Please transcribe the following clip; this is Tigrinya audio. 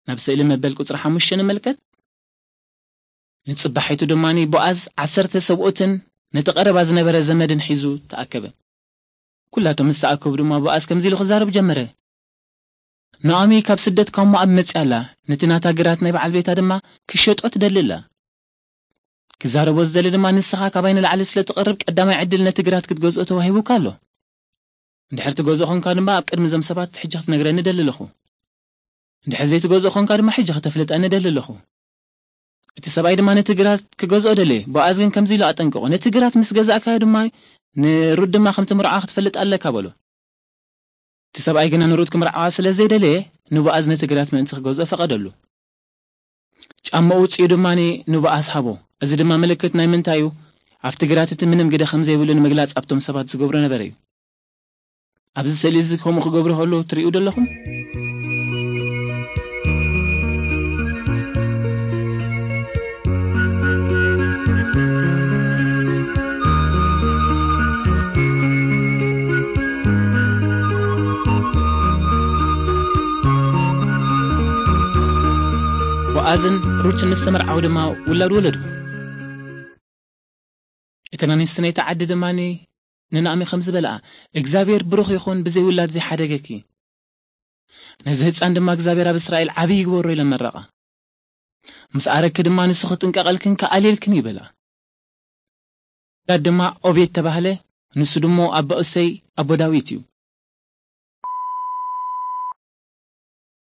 ናብ ስእሊ መበል ቁጽሪ ሓሙሽተ ንመልከት። ንጽባሒቱ ድማ ቦኣዝ ዓሰርተ ሰብኡትን ነቲ ቀረባ ዝነበረ ዘመድን ሒዙ ተኣከበ። ኩላቶም ምስ ተኣከቡ ድማ ቦኣዝ ከምዚ ኢሉ ክዛረብ ጀመረ። ናኦሚ ካብ ስደት ካብ ሞኣብ መጽያ ኣላ፣ ነቲ ናታ ግራት ናይ በዓል ቤታ ድማ ክሸጦ ትደሊ ኣላ። ክዛረቦ ዝደሊ ድማ ንስኻ ካባይ ንላዕሊ ስለ ትቐርብ ቀዳማይ ዕድል ነቲ ግራት ክትገዝኦ ተዋሂቡካ ኣሎ። እንድሕር ትገዝኦ ኾንካ ድማ ኣብ ቅድሚ እዞም ሰባት ሕጂ ክትነግረኒ ደሊ ኣለኹ። እንድሕር ዘይትገዝኦ ኾንካ ድማ ሕጂ ከተፍልጠኒ ደሊ ኣለኹ። እቲ ሰብኣይ ድማ ነቲ ግራት ክገዝኦ ደለየ። ቦኣዝ ግን ከምዚ ኢሉ ኣጠንቀቖ፣ ነቲ ግራት ምስ ገዛእካዮ ድማ ንሩት ድማ ከምቲ ምርዖ ክትፈልጥ ኣለካ በሎ። እቲ ሰብኣይ ግና ንሩት ክምርዓዋ ስለ ዘይደለየ ንቦኣዝ ነቲ ግራት ምእንቲ ክገዝኦ ፈቐደሉ። ጫማኡ ውፅኡ ድማ ንቦኣዝ ሃቦ። እዚ ድማ ምልክት ናይ ምንታይ እዩ? ኣብቲ ግራት እቲ ምንም ግደ ከም ዘይብሉ ንምግላፅ ኣብቶም ሰባት ዝገብሮ ነበረ እዩ። ኣብዚ ስእሊ እዚ ከምኡ ክገብሩ ከለዉ ትርእዩ ደለኹም? ቦኣዝን ሩትን ምስ ተመርዓዉ ድማ ውላድ ወለዱ። እተን ኣንስቲ ናይቲ ዓዲ ድማ ንናእሚ ከም ዝበልኣ፣ እግዚኣብሔር ብሩኽ ይኹን ብዘይ ውላድ ዘይሓደገኪ። ነዚ ህፃን ድማ እግዚኣብሔር ኣብ እስራኤል ዓብዪ ይግበሮ ኢለን መረቓ። ምስ ኣረግኪ ድማ ንሱ ክጥንቀቐልክን ክኣልየልክን ይበላ። ጋድ ድማ ኦቤድ ተባህለ፣ ንሱ ድሞ ኣቦ እሰይ ኣቦ ዳዊት እዩ።